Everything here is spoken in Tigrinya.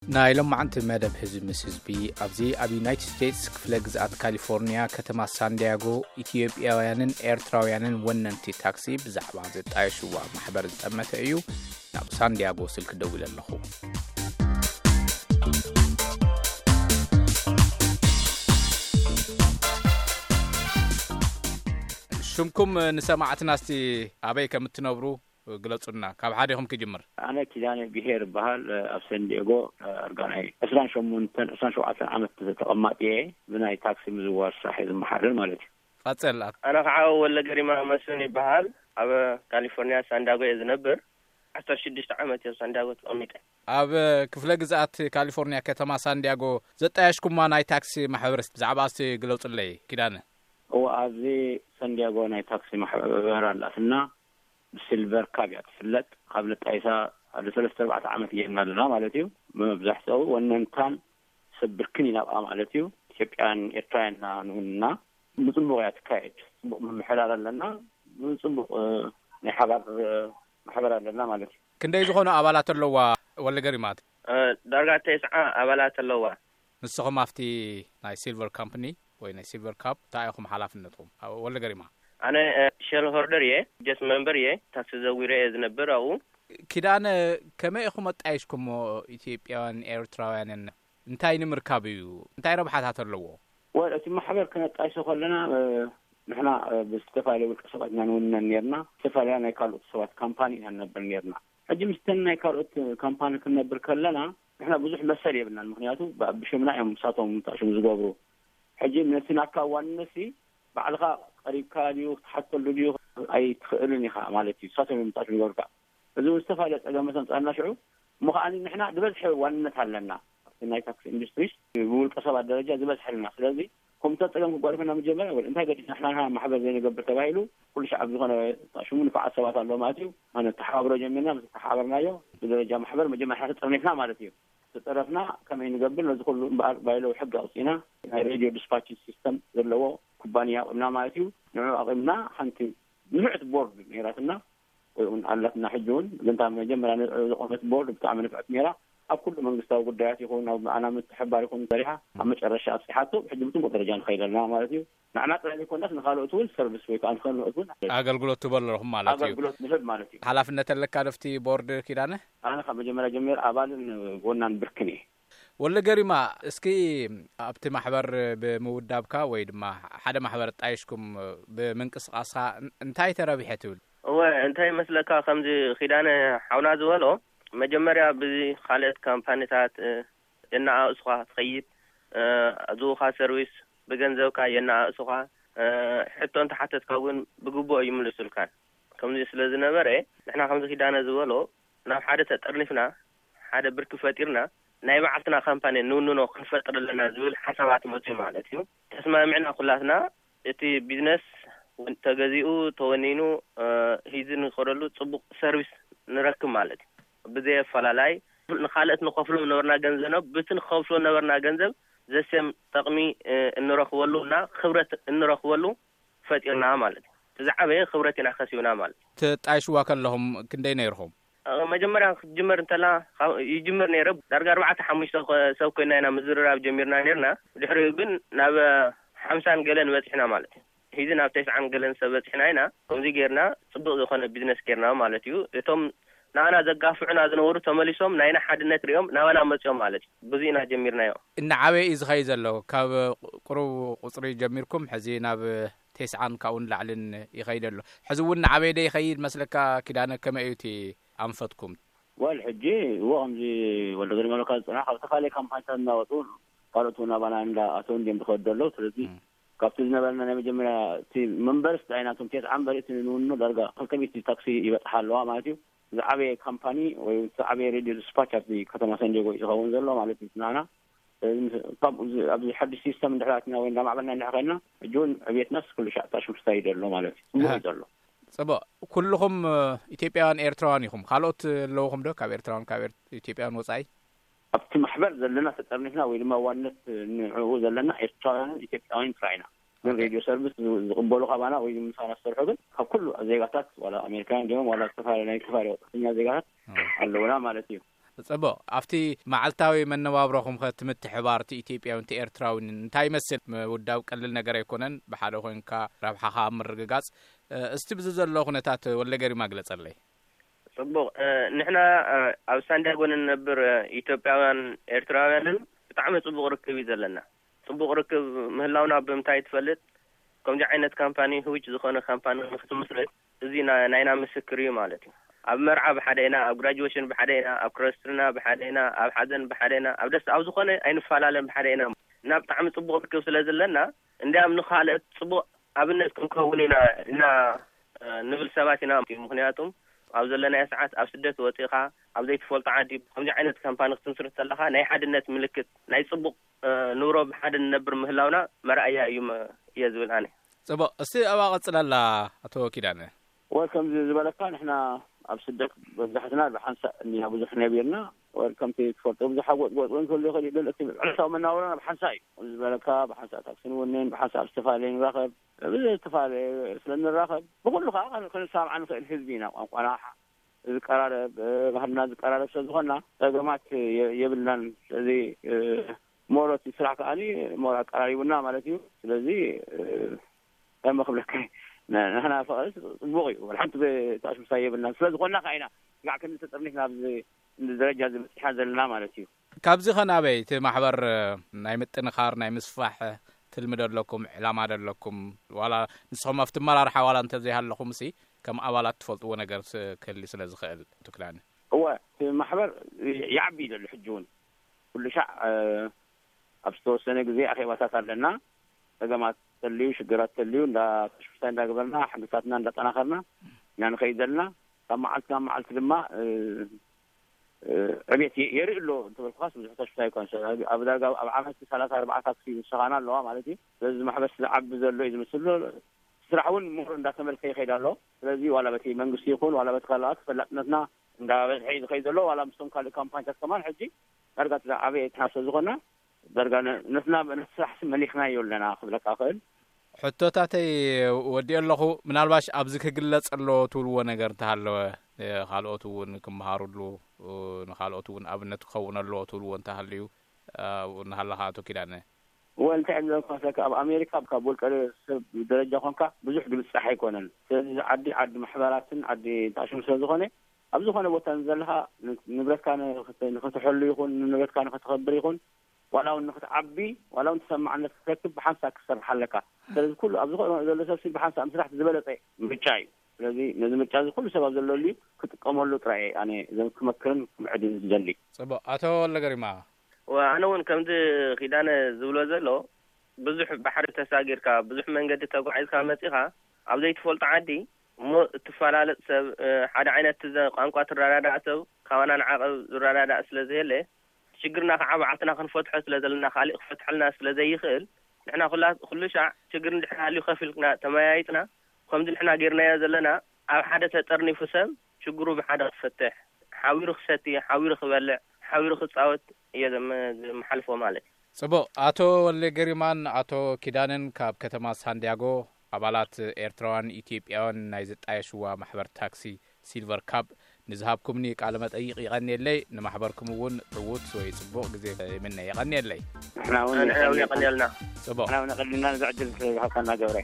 ናይ ሎማዓንቲ መደብ ህዝቢ ምስ ህዝቢ ኣብዚ ኣብ ዩናይትድ ስቴትስ ክፍለ ግዝኣት ካሊፎርኒያ ከተማ ሳንዲያጎ ኢትዮጵያውያንን ኤርትራውያንን ወነንቲ ታክሲ ብዛዕባ ዘጣየሽዋ ማሕበር ዝጠመተ እዩ። ናብ ሳንዲያጎ ስልክ ደዊለ ኣለኹ። ሽምኩም ንሰማዕትና እስቲ ኣበይ ከም እትነብሩ ግለጹልና። ካብ ሓዲኹም ክጅምር። ኣነ ኪዳነ ብሄር እበሃል። ኣብ ሰንዲየጎ ኣርጋናይ ዕስራን ሸሞንተን ዕስራን ሸውዓተን ዓመት ተቐማጢ እየ። ብናይ ታክሲ ምዝዋር ስራሕ እየ ዝመሓደር ማለት እዩ። ቀጽል። ኣነ ከዓ ወለ ገሪማ መስፍን ይበሃል። ኣብ ካሊፎርኒያ ሳንዲያጎ እየ ዝነብር። ዓሰርተ ሽዱሽተ ዓመት እየ ኣብ ሳንዲያጎ ተቐሚጠ። ኣብ ክፍለ ግዝኣት ካሊፎርኒያ ከተማ ሳንዲያጎ ዘጣየሽኩማ ናይ ታክሲ ማሕበርስ ብዛዕባ እስቲ ግለጹለይ ኪዳነ። እዎ፣ ኣብዚ ሳንዲያጎ ናይ ታክሲ ማሕበር ኣላትና። ብሲልቨር ካብ እያ ትፍለጥ። ካብ ነጣይሳ ሓደ ሰለስተ ኣርባዕተ ዓመት እየና ኣለና ማለት እዩ። መብዛሕትኡ ወነንታን ሰብ ብርክን ኢና ኣብኣ ማለት እዩ። ኢትዮጵያን ኤርትራውያን ኢና ንውንና። ብጽቡቕ እያ ትካየድ። ጽቡቕ ምምሕዳር ኣለና። ብጽቡቕ፣ እ፣ ናይ ሓባር፣ እ፣ ማሕበር ኣለና ማለት እዩ። ክንደይ ዝኾኑ ኣባላት ኣለዋ ወለ ገሪማት? እ፣ ዳርጋ ተስዓ ኣባላት ኣለዋ። ንስኹም ኣብቲ ናይ ሲልቨር ካምፕኒ ወይ ናይ ሲልቨር ካፕ እንታይ ኢኹም ሓላፍነትኩም? ኣብ ወለ ገሪማ። ኣነ፣ እ፣ ሼር ሆልደር እየ፣ ጀስት መንበር እየ፣ ታክሲ ዘዊረ እየ ዝነብር ኣብኡ። ኪዳነ፣ ከመይ ኢኹም ኣጣይሽኩሞ ኢትዮጵያውያን ኤርትራውያንን? እንታይ ንምርካብ እዩ? እንታይ ረብሓታት ኣለዎ? ወል፣ እቲ ማሕበር ክነጣይሶ ከለና፣ እ፣ ንሕና፣ እ፣ ብዝተፈላለየ ውልቀ ሰባት ኢና ንውነን ነርና። ዝተፈላለያ ናይ ካልኦት ሰባት ካምፓኒ ኢና ንነብር ነርና። ሕጂ ምስተን ናይ ካልኦት ካምፓኒ ክንነብር ከለና፣ ንሕና ብዙሕ መሰል የብልናን። ምኽንያቱ ብ-፣ ብሽምና እዮም ንሳቶም ታሽሙ ዝገብሩ። ሕጂ ነቲ ናካ ዋንነትሲ ባዕልኻ ቀሪብካ ድዩ ክትሓተሉ ድዩ ኣይትኽእልን ኢኻ ማለት እዩ። ንሳቶም እዮም ታሽሙ ዝገብሩካ። እዚ እውን ዝተፈላለየ ጸገም መሰንጻና ሽዑ። እሞ ከኣ ንሕና ዝበዝሐ ዋንነት ኣለና። ኣብቲ ናይ ታክሲ ኢንዱስትሪስ ብውልቀ ሰባት ደረጃ ዝበዝሐ ኣለና። ስለዚ ከምቲ ጸገም ክጓልፈና መጀመርያ፣ ወል እንታይ ገዲፍና ንሕና ማሕበር ዘይንገብር ተባሂሉ፣ ኩሉ ሻዕ ኣብ ዝኾነ ሽሙ ንፉዓት ሰባት ኣለዉ ማለት እዩ። ኣነ ተሓባብሮ ጀሚርና፣ ምስ ተሓባበርናዮ ብደረጃ ማሕበር መጀመርያ ተጠርኒፍና ማለት እዩ። ተጠረፍና ከመይ ንገብር ነዚ ኩሉ እምበኣር ባይለው ሕግ ኣውፂና፣ ናይ ሬድዮ ዲስፓች ሲስተም ዘለዎ ኩባንያ ኣቑምና ማለት እዩ። ንዑ ኣቑምና ሓንቲ ንፍዕቲ ቦርድ ነይራትና፣ ወይ እውን ኣላትና ሕጂ እውን፣ ግን እታ መጀመርያ ን-፣ ዝቖመት ቦርድ ብጣዕሚ ንፍዕቲ ነይራ። ኣብ ኩሉ መንግስታዊ ጉዳያት ይኹን፣ ኣብ ኣና ምትሕባር ይኹን ሰሪሓ፣ ኣብ መጨረሻ ኣብፂሓቶ፣ ሕጂ ብፅቡቅ ደረጃ ንኸይድ ኣለና ማለት እዩ። ንዓና ጥራይ ዘይኮነስ ንኻልኦት እውን ሰርቪስ ወይ ከዓ ንኻልኦት እውን ኣገልግሎት ትህቡ ኣለኹም ማለት እዩ። ኣገልግሎት ንህብ ማለት እዩ። ሓላፍነት ኣለካ ዶ ኣብቲ ቦርድ ኪዳነ? ኣነ ካብ መጀመርያ ጀሚረ ኣባልን ጎናን ብርክን እየ። ወለ ገሪማ፣ እስኪ ኣብቲ ማሕበር ብምውዳብካ ወይ ድማ ሓደ ማሕበር ጣይሽኩም ብምንቅስቃስካ እን-፣ እንታይ ተረቢሐ ትብል? እወ፣ እንታይ ይመስለካ፣ ከምዚ ኪዳነ ሓውና ዝበሎ፣ መጀመርያ ብዚ ካልኦት ካምፓኒታት፣ እ፣ የነኣእሱኻ ትኸይድ፣ እ፣ ዝህቡኻ ሰርቪስ ብገንዘብካ የነኣእሱኻ፣ እ፣ ሕቶ እንተሓተትካ እውን ብግቡእ ይምልሱልካን። ከምዚ ስለ ዝነበረ፣ ንሕና ከምዚ ኪዳነ ዝበሎ፣ ናብ ሓደ ተጠርኒፍና፣ ሓደ ብርኪ ፈጢርና፣ ናይ ባዕልትና ካምፓኒ ንውንኖ ክንፈጥር ኣለና ዝብል ሓሳባት መፅዩ ማለት እዩ። ተስማሚዕና ኩላትና፣ እቲ ቢዝነስ እውን ተገዚኡ፣ ተወኒኑ፣ እ፣ ሂዚ ንኸደሉ ፅቡቅ ሰርቪስ ንረክብ ማለት እዩ። ብዘይ ኣፈላላይ፣ ንኻልኦት ንኸፍሎም ነበርና ገንዘብ፣ ብቲ ንኸፍሎ ነበርና ገንዘብ ዘሴም ጠቕሚ፣ እ፣ እንረኽበሉ እና ክብረት እንረኽበሉ ፈጢርና ማለት እዩ። እቲ ዝዓበየ ክብረት ኢና ከሲብና ማለት እዩ። ትጣይሽዋ ከለኹም ክንደይ ነይርኹም? እ፣ መጀመርያ ክትጅመር እንተላ፣ ካብ፣ ይጅምር ነይረ። ዳርጋ ኣርባዕተ ሓሙሽተ ኮ-፣ ሰብ ኮይና ኢና ምዝርራብ ጀሚርና ነይርና። ድሕሪኡ ግን ናብ ሓምሳን ገለን በፂሕና ማለት እዩ። ሂዚ ናብ ተስዓን ገለን ሰብ በፂሕና ኢና። ከምዚ ጌርና ፅቡቅ ዝኾነ ቢዝነስ ጌርና ማለት እዩ። እቶም ንኣና ዘጋፍዑና ዝነበሩ ተመሊሶም ናይና ሓድነት ሪኦም ናባና መፂኦም ማለት እዩ። ብዙ ኢና ጀሚርናዮ። እናዓበየ እዩ ዝኸይድ ዘሎ። ካብ ቁሩብ ቁፅሪ ጀሚርኩም ሕዚ ናብ ተስዓን ካብኡ ንላዕልን ይኸይድ ኣሎ። ሕዚ እውን እናዓበየ ዶ ይኸይድ መስለካ ኪዳነ? ከመይ እዩ እቲ ኣንፈትኩም? ወል፣ ሕጂ እዎ፣ ከምዚ ወልደ ገሪማ ኢልካ ዝፅናሕ ካብ ዝተፈላለዩ ካምፓኒታት እናወፁ ካልኦት እውን ናባና እንዳኣተው እንዲዮም ዝኸዱ ዘለዉ። ስለዚ እም። ካብቲ ዝነበረና ናይ መጀመርያ እቲ መንበርስ ዳይናቶም ቴስዓ እምበር እቲ ንውኖ ዳርጋ ክልተ ሚእቲ ታክሲ ይበፅሓ ኣለዋ ማለት እዩ። ዝዓበየ ካምፓኒ ወይ ዝዓበየ ሬድዮ ዲስፓች ኣብዚ ከተማ ሳንዲየጎ እዩ ዝኸውን ዘሎ ማለት እዩ። ናና፣ እዚ ምስ-፣ ካብኡ ዚ-፣ ኣብዚ ሓድሽ ሲስተም እንድሕር ኣትና ወይ እንዳማዕበልና እንድሕር ከይድና፣ ሕጂ እውን ዕብየትናስ ኩሉ ሻዕ ታሽምሽታ እዩ ዘሎ ማለት እዩ። ጽቡቕ እዩ ዘሎ። ጽቡቕ። ኩልኹም፣ እ፣ ኢትዮጵያውያን ኤርትራውያን ኢኹም። ካልኦት ኣለውኹም ዶ? ካብ ኤርትራውያን፣ ካብ ኤር-፣ ኢትዮጵያውያን ወጻኢ? ኣብቲ ማሕበር ዘለና ተጠርኒፍና ወይ ድማ ዋንነት ንዕኡ ዘለና ኤርትራውያንን ኢትዮጵያውያንን ጥራይ ኢና። ግን ኦኬ። ሬድዮ ሰርቪስ ዝ-፣ ዝቕበሉ ካባና ወይ ምሳና ዝሰርሑ ግን ካብ ኩሉ ዜጋታት፣ ዋላ ኣሜሪካውያን ድዮም፣ ዋላ ዝተፈላለዩ ናይ ዝተፈላለዩ ወጻእተኛ ዜጋታት ኦ። ኣለውና ማለት እዩ። ጽቡቕ። ኣብቲ መዓልታዊ መነባብሮኹም ኸ እቲ ምትሕባር እቲ ኢትዮጵያዊ፣ እቲ ኤርትራዊ እንታይ ይመስል? ምውዳብ ቀሊል ነገር ኣይኮነን። ብሓደ ኮይንካ ረብሓኻ ኣብ ምርግጋጽ፣ እ፣ እስቲ ብዚ ዘሎ ኩነታት ወልደ ገሪማ ግለጸለይ። ጽቡቕ። እ፣ ንሕና፣ እ፣ ኣብ ሳንዲያጎ ንነብር፣ እ፣ ኢትዮጵያውያን ኤርትራውያንን ብጣዕሚ ጽቡቕ ርክብ እዩ ዘለና። ጽቡቕ ርክብ ምህላውና ብምንታይ ትፈልጥ? ከምዚ ዓይነት ካምፓኒ፣ ህውጅ ዝኾነ ካምፓኒ ንክትምስርት፣ እዚ ና-፣ ናይና ምስክር እዩ ማለት እዩ። ኣብ መርዓ ብሓደ ኢና፣ ኣብ ግራጁዌሽን ብሓደ ኢና፣ ኣብ ክርስትና ብሓደ ኢና፣ ኣብ ሓዘን ብሓደ ኢና፣ ኣብ ደስ፣ ኣብ ዝኾነ ኣይንፈላለን፣ ብሓደ ኢና። እና ብጣዕሚ ጽቡቕ ርክብ ስለ ዘለና፣ እንዲያም ንኻልኦት ጽቡቕ ኣብነት ክንከውን ኢና እና፣ እ፣ ንብል ሰባት ኢና። ምክንያቱም ኣብ ዘለናዮ ሰዓት ኣብ ስደት ወጺኻ ኣብ ዘይትፈልጦ ዓዲ ከምዚ ዓይነት ካምፓኒ ክትምስርት ከለኻ ናይ ሓድነት ምልክት፣ ናይ ጽቡቕ፣ እ፣ ኑሮ ብሓደ ንነብር ምህላውና መርኣያ እዩ መ-፣ እየ ዝብል ኣነ። ጽቡቕ። እስቲ ኣብኣ ቀጽለላ ኣቶ ኪዳነ። ወይ ከምዚ ዝበለካ ንሕና ኣብ ስደት መብዛሕትና ብሓንሳእ እንዲና ብዙሕ ነቢርና። ወይ ከምቲ ትፈልጦ ብዙሕ ጎጥጎጥ እውን ክህሉ ይኽእል እዩ፣ ግን እቲ ዕለታዊ መናውሮና ብሓንሳእ እዩ። ከምዚ ዝበለካ ብሓንሳእ ታክሲ ንውንን፣ ብሓንሳእ ኣብ ዝተፈላለየ ንራኸብ፣ ብዝተፈላለየ ስለ ንራኸብ ብኹሉ ከዓ ከን-፣ ክንሰማማዕ ንኽእል ህዝቢ ኢና። ቋንቋና ዝቀራረብ፣ እ፣ ባህልና ዝቀራረብ ስለ ዝኾንና ጸገማት የ-፣ የብልናን። ስለዚ፣ እ፣ ሞሮት ስራሕ ከዓኒ ሞር ኣቀራሪቡና ማለት እዩ። ስለዚ፣ እ፣ ከመ ክብለካ ን-፣ ንሕና ፍቕሪ ጽቡቕ እዩ። ወላ ሓንቲ ተኣሽምሳ የብልናን። ስለ ዝኾንና ከዓ ኢና ጋዕ ክንዲ ተጠርኒፍና ኣብዚ ደረጃ እዚ በጺሕና ዘለና ማለት እዩ። ካብዚ ኸ ናበይ እቲ ማሕበር ናይ ምጥንኻር፣ ናይ ምስፋሕ ትልሚ ዶ ኣለኩም፣ ዕላማ ዶ ኣለኩም? ዋላ ንስኹም ኣብቲ ኣመራርሓ ዋላ እንተዘይሃለኹም ሲ ከም ኣባላት ትፈልጥዎ ነገር ስ-፣ ክህሊ ስለ ዝኽእል ትክላኒ። እወ፣ እቲ ማሕበር ይዓቢ እዩ ዘሎ ሕጂ እውን። ኩሉ ሻዕ፣ እ፣ ኣብ ዝተወሰነ ግዜ ኣኼባታት ኣለና። ጸገማት ተልዩ፣ ሽግራት ተልዩ፣ እንዳ ተሽፍታ እንዳገበርና፣ ሓገዛትና እንዳጠናኸርና ኢና ንኸይድ ዘለና። ካብ መዓልቲ ናብ መዓልቲ ድማ፣ እ፣ እ፣ ዕቤት የ-፣ የርኢ ኣሎ እንተበልኩኻስ ብዙሕ ተሽፍታ ኣይኮነን። ኣብ ዳርጋ ኣብ ዓመት ሰላሳ ኣርባዓ ታክሲ ዝሰኻና ኣለዋ ማለት እዩ። ስለዚ እዚ ማሕበር ዝዓቢ ዘሎ እዩ ዝመስል ኣሎ። ስራሕ እውን ምሁር እንዳተመልከ ይኸይድ ኣሎ። ስለዚ ዋላ በቲ መንግስቲ ይኹን ዋላ በቲ ካልኣት ተፈላጥነትና እንዳበዝሐ እዩ ዝኸይድ ዘሎ። ዋላ ምስቶም ካልእ ካምፓኒታት ከማን ሕጂ ዳርጋ ዝዓበየ ትሓሶ ዝኾና ዳርጋ ነ-፣ ነትና ነቲ ስራሕ ሲ መሊኽናዮ ኣለና ክብለካ እኽእል። ሕቶታተይ ወዲኦ ኣለኹ። ምናልባሽ ኣብዚ ክግለጽ ኣለዎ ትብልዎ ነገር እንተሃለወ፣ እ፣ ካልኦት እውን ክመሃሩሉ፣ እ፣ ንኻልኦት እውን ኣብነት ክኸውን ኣለዎ ትብልዎ እንተሃልዩ፣ እ፣ ኣብኡ እናሃለኻ ኣቶ ኪዳነ። እወ፣ እንታይ እየ ዝብለካ መስለካ፣ ኣብ ኣሜሪካ ካብ ውልቀ ሰብ ደረጃ ኮንካ ብዙሕ ዝብጻሕ ኣይኮነን። ስለዚ እዚ ዓዲ፣ ዓዲ ማሕበራትን ዓዲ ታሽሙ ስለ ዝኾነ፣ ኣብ ዝኾነ ቦታ ንዘለኻ ን-፣ ንብረትካ ንኽት-፣ ንኽትሕሉ ይኹን፣ ንንብረትካ ንኽትኸብር ይኹን፣ ዋላ እውን ንኽትዓቢ፣ ዋላ እውን ተሰማዕነት ክትረክብ ብሓንሳእ ክትሰርሕ ኣለካ። ስለዚ ኩሉ ኣብ ዝኾነ ዘሎ ሰብ ሲ ብሓንሳእ ምስራሕ ዝበለጸ ምርጫ እዩ። ስለዚ ነዚ ምርጫ እዚ ኩሉ ሰብ ኣብ ዘለሉ እዩ ክጥቀመሉ ጥራይ እየ ኣነ ዘም-፣ ክመክርን ክምዕድን ዝደሊ። ጽቡቕ። ኣቶ ወልደገሪማ። ወ-፣ ኣነ እውን ከምዚ ኪዳነ ዝብሎ ዘሎ ብዙሕ ባሕሪ ተሳጊርካ፣ ብዙሕ መንገዲ ተጓዒዝካ መጺኻ፣ ኣብ ዘይትፈልጦ ዓዲ እሞ እትፈላለጥ ሰብ፣ እ፣ ሓደ ዓይነት ትዘ-፣ ቋንቋ ትረዳዳእ ሰብ፣ ካባና ንዓቐብ ዝረዳዳእ ስለ ዘየለ፣ ሽግርና ከዓ ባዕልና ክንፈትሖ ስለ ዘለና፣ ካሊእ ክፈትሐልና ስለ ዘይኽእል፣ ንሕና ኩላ-፣ ኩሉ ሻዕ ሽግር እንድሕር ሃልዩ ከፍ ኢልና ተመያይጥና፣ ከምዚ ንሕና ጌርናዮ ዘለና፣ ኣብ ሓደ ተጠርኒፉ ሰብ ሽግሩ ብሓደ ክፈትሕ፣ ሓቢሩ ክሰቲ፣ ሓቢሩ ክበልዕ፣ ሓቢሩ ክጻወት እየ ዘመ-፣ ዘመሓልፎ ማለት እዩ። ጽቡቕ። ኣቶ ወልደ ገሪማን ኣቶ ኪዳነን ካብ ከተማ ሳንዲያጎ፣ ኣባላት ኤርትራውያን ኢትዮጵያውያን ናይ ዝጣየሽዋ ማሕበር ታክሲ ሲልቨር ካብ ንዝሃብኩምኒ ቃለ መጠይቕ ይቐንየለይ። ንማሕበርኩም እውን ዕዉት ወይ ጽቡቕ ግዜ ይምነ። ይቐንየለይ። ንሕና እውን ኣነ የቐንየልና። የቐንየልና። ጽቡቕ። ንሕና እውን የቐንየልና ነዚ ዕድል ዝሃብካና ገብረ።